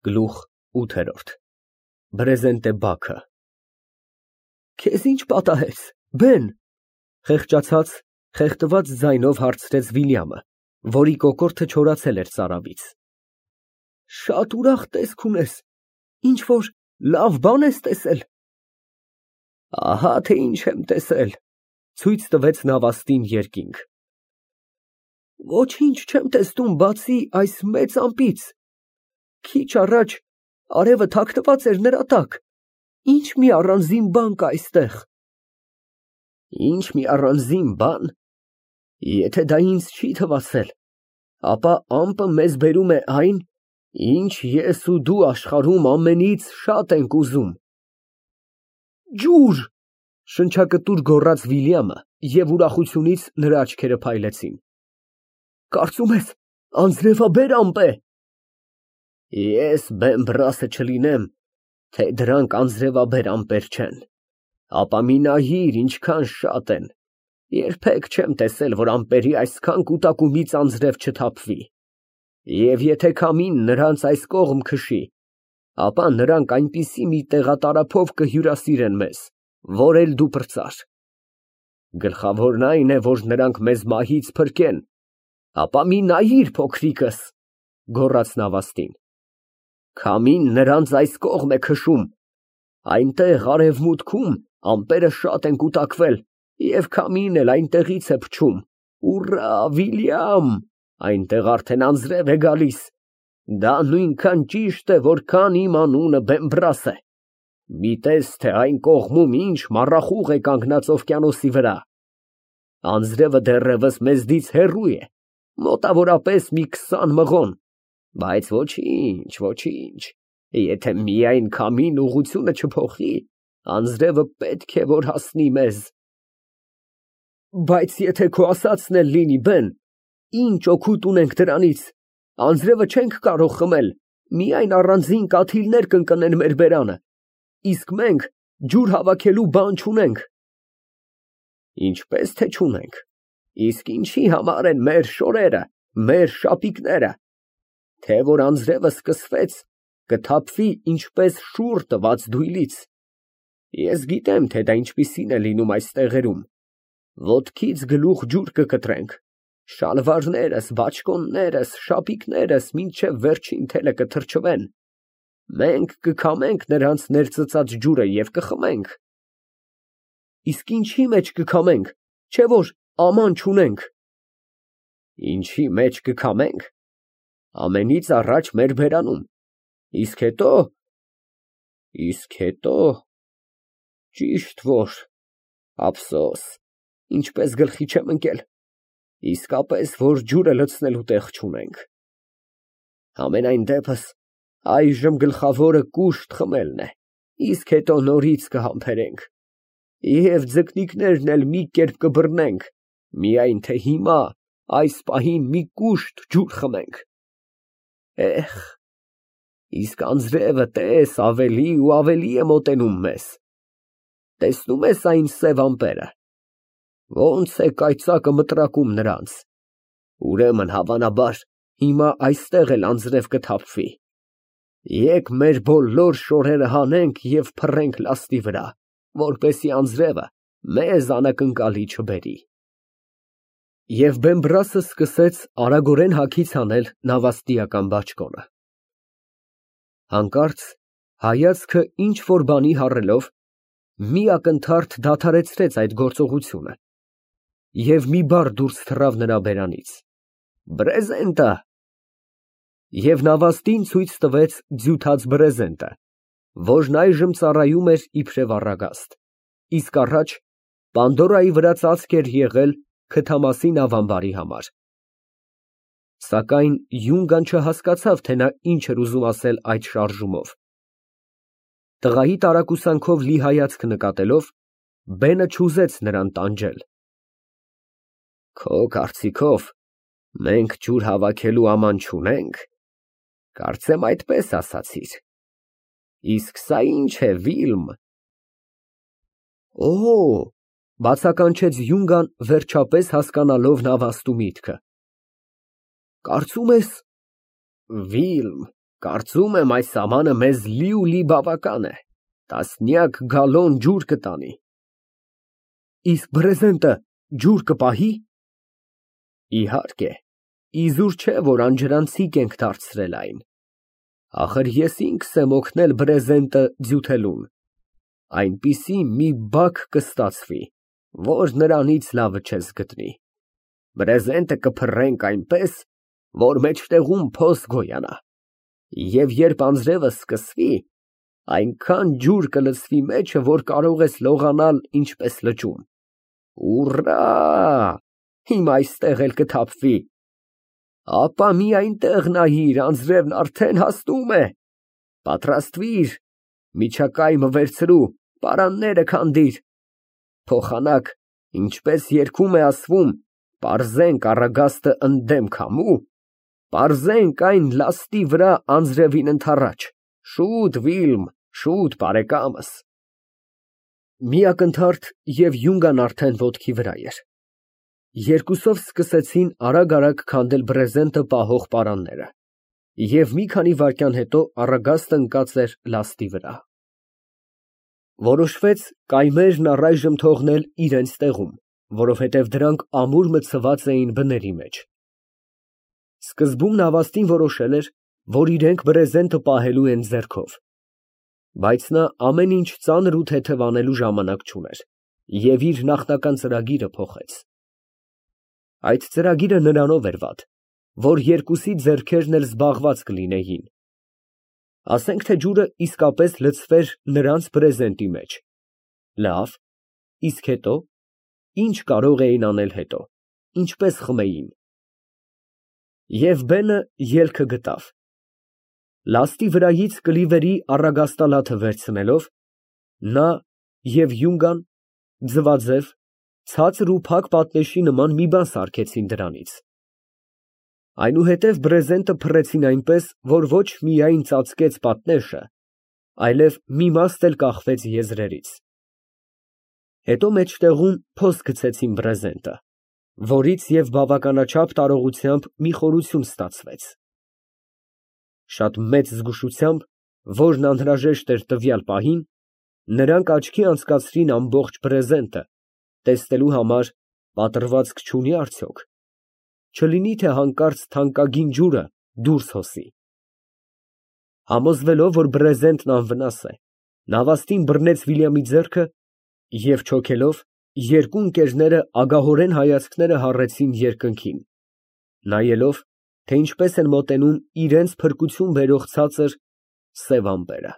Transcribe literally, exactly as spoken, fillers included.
Գլուխ ութ Բրեզենտե Բագրատ Քեզ ի՞նչ պատահեց, բեն, խեղճացած, խեղդված ձայնով հարցրեց Վիլյամը, որի կոկորդը չորացել էր ծարավից։ Շատ ուրախ տեսք ունես, ինչ֊որ լավ բան ես տեսել։ Ահա թե ինչ եմ տեսել, ցույց տվեց նավաստին երկինք։ Ոչինչ չեմ տեսնում, բացի այս մեծ ամպից։ Քիչ առաջ արևը թաքնված էր նրա տակ, ինչ մի առանձին բան կա այստեղ։ Ինչ մի առանձին բան, եթե դա ինձ չի թվացել, ապա ամպը մեզ բերում է այն, ինչ ես ու դու աշխարհում ամենից շատ ենք ուզում։ Ջուր, շնչակտուր գոռաց Վիլյամը, և ուրախությունից նրա աչքերը փայլեցին։ Կարծում ես անձրևաբեր ամպ է։ Ես Բեմբրասը չլինեմ, թե դրանք անձրևաբեր ամպեր չեն, ապա մի նայիր ինչքան շատ են, երբեք չեմ տեսել, որ ամպերի այսքան կուտակումից անձրև չթափվի, և եթե քամին նրանց այս կողմ քշի, ապա նրանք այնպիսի մի տեղատարափով կհյուրասիրեն մեզ, որ էլ դու պրծար։ Գլխավորն այն է, որ նրանք մեզ մահից փրկեն, ապա մի նայիր փոքրիկս, գոռաց նավաստին, քամին նրանց այս կողմ է քշում, այնտեղ արևմուտքում ամպերը շատ են կուտակվել, և քամին էլ այնտեղից է փչում, ուռա, Վիլյամ, այնտեղ արդեն անձրև է գալիս, դա նույնքան ճիշտ է, որքան իմ անունը Բեմբրաս է, մի տես, թե այն կողմում ինչ մառախուղ է կանգնած օվկիանոսի վրա, անձրևը դեռևս մեզնից հեռու է, մոտավորապես մի քսան մղոն, բայց ոչինչ, ոչինչ, եթե միայն քամին ուղղությունը չփոխի, անձրևը պետք է որ հասնի մեզ։ Բայց եթե քո ասածն էլ լինի, բեն, ինչ օգուտ ունենք դրանից, անձրևը չենք կարող խմել, միայն առանձին կաթիլներ կընկնեն մեր բերանը, իսկ մենք ջուր հավաքելու բան չունենք։ Ինչպես թե չունենք, իսկ ինչի համար են մեր շորերը, մեր շապիկները, թե որ անձրևը սկսվեց, կթափվի ինչպես շուռ տված դույլից։ Ես գիտեմ, թե դա ինչպիսին է լինում այս տեղերում, ոտքից գլուխ ջուր կկտրենք, շալվարներս, բաճկոններս, շապիկներս մինչև վերջին թելը կթրջվեն, մենք կքամենք նրանց ներծծած ջուրը և կխմենք։ Իսկ ինչի մեջ կքամենք, չէ որ աման չունենք։ Ինչի մեջ կքամենք, ամենից առաջ մեր բերանում, իսկ հետո, իսկ հետո, ճիշտ որ, ափսոս, ինչպես գլխի չեմ ընկել, իսկապես, որ ջուրը լցնելու տեղ չունենք։ Համենայն դեպս, այժմ գլխավորը կուշտ խմելն է, իսկ հետո նորից կհամբերենք, և ձկնիկներն էլ մի կերպ կբռնենք, միայն թե հիմա, այս պահին մի կուշտ ջուր խմենք։ Էհ, իսկ անձրևը տես ավելի ու ավելի է մոտենում մեզ, տեսնում ես այն սև ամպերը, ոնց է կայծակը մտրակում նրանց, ուրեմն հավանաբար հիմա այստեղ էլ անձրև կթափվի, եկ մեր բոլոր շորերը հանենք և փռենք լաստի վրա, որպեսզի անձրևը մեզ անակնկալի չբերի։ Եվ Բեմբրասը սկսեց արագորեն հագից հանել նավաստիական բաճկոնը։ Հանկարծ հայացքը ինչ֊որ բանի հառելով, մի ակնթարթ դադարեցրեց այդ գործողությունը և մի բառ դուրս թռավ նրա բերանից. Բրեզենտը։ Եվ նավաստին ցույց տվեց ձյութած բրեզենտը, որն այժմ ծառայում էր իբրև առագաստ, իսկ առաջ Պանդորայի վրա ծածկ էր եղել քթամասի նավամբարի համար։ Սակայն Յունգան չհասկացավ, թե նա ինչ էր ուզում ասել այդ շարժումով։ Տղայի տարակուսանքով լի հայացք նկատելով, բենը չուզեց նրան տանջել։ Քո կարծիքով մենք ջուր հավաքելու աման չունենք, կարծեմ այդպես ասացիր, իսկ սա ինչ է, Վիլմ։ Օ, բացականչեց Յունգան, վերջապես հասկանալով նավաստու միտքը։ Կարծում ես, Վիլմ, Կարծում եմ այս ամանը մեզ լիուլի բավական է, տասնյակ գալոն ջուր կտանի։ Իսկ բրեզենտը ջուր կպահի՞։ Իհարկե, իզուր չէ, որ անջրանցիկ ենք դարձրել այն։ Ախր ես ինքս եմ օգնել բրեզենտը ձյութելուն, այնպիսի մի բակ կստացվի, որ նրանից լավը չես գտնի։ Բրեզենտը կփռենք այնպես, որ մեջտեղում փոս գոյանա, և երբ անձրևը սկսվի, այնքան ջուր կլցվի մեջը, որ կարող ես լողանալ ինչպես լճում։ Ուռա, հիմա այստեղ էլ կթափվի։ Ապա մի այնտեղ նայիր, անձրևն արդեն հասնում է։ Պատրաստվիր, միջակայքը վերցրու, պարանները քանդիր։ Փոխանակ, ինչպես երգում է ասվում, պարզենք առագաստը ընդդեմ քամու, պարզենք այն լաստի վրա անձրևին ընդառաջ, շուտ, Վիլմ, շուտ, բարեկամս։ Մի ակնթարթ և յունգան արդեն ոտքի վրա էր։ Երկուսով սկսեցին արագ֊արագ քանդել բրեզենտը պահող պարանները, և մի քանի վայրկյան հետո առագաստը ընկած էր լաստի վրա։ Որոշվեց կայմերն առայժմ թողնել իրենց տեղում, որովհետև դրանք ամուր մտցված էին բների մեջ։ Սկզբում նավաստին որոշել էր, որ իրենք բրեզենտը պահելու են ձեռքով, բայց նա ամեն ինչ ծանր ու թեթև անելու ժամանակ չուներ և իր նախնական ծրագիրը փոխեց։ Այդ ծրագիրը նրանով էր վատ, որ երկուսի ձեռքերն էլ զբաղված կլինեին։ Ասենք թե ջուրը իսկապես լցվեր նրանց բրեզենտի մեջ։ Լավ, իսկ հետո, ի՞նչ կարող էին անել հետո, ինչպես խմեին։ Եվ բենը ելքը գտավ։ Լաստի վրայից կլիվերի առագաստալաթը վերցնելով, նա և յունգան ձվաձև, ցածր ու փակ պատնեշի նման մի բան սարքեցին դրանից։ Այնուհետև բրեզենտը փռեցին այնպես, որ ոչ միայն ծածկեց պատնեշը, այլև մի մասն էլ կախվեց եզրերից։ Հետո մեջտեղում փոս գցեցին բրեզենտը, որից և բավականաչափ տարողությամբ մի խորություն ստացվեց։ Շատ մեծ զգուշությամբ, որն անհրաժեշտ էր տվյալ պահին, նրանք աչքի անցկացրին ամբողջ բրեզենտը, տեսնելու համար պատռվածք չունի՞ արդյոք, չլինի թե հանկարծ թանկագին ջուրը դուրս հոսի։ Համոզվելով, որ բրեզենտն անվնաս է, նավաստին բռնեց Վիլյամի ձեռքը և չոքելով, երկու ընկերները ագահորեն հայացքները հառեցին երկնքին, նայելով, թե ինչպես են մոտենում իրենց փրկություն բերող ցածր սև ամպերը։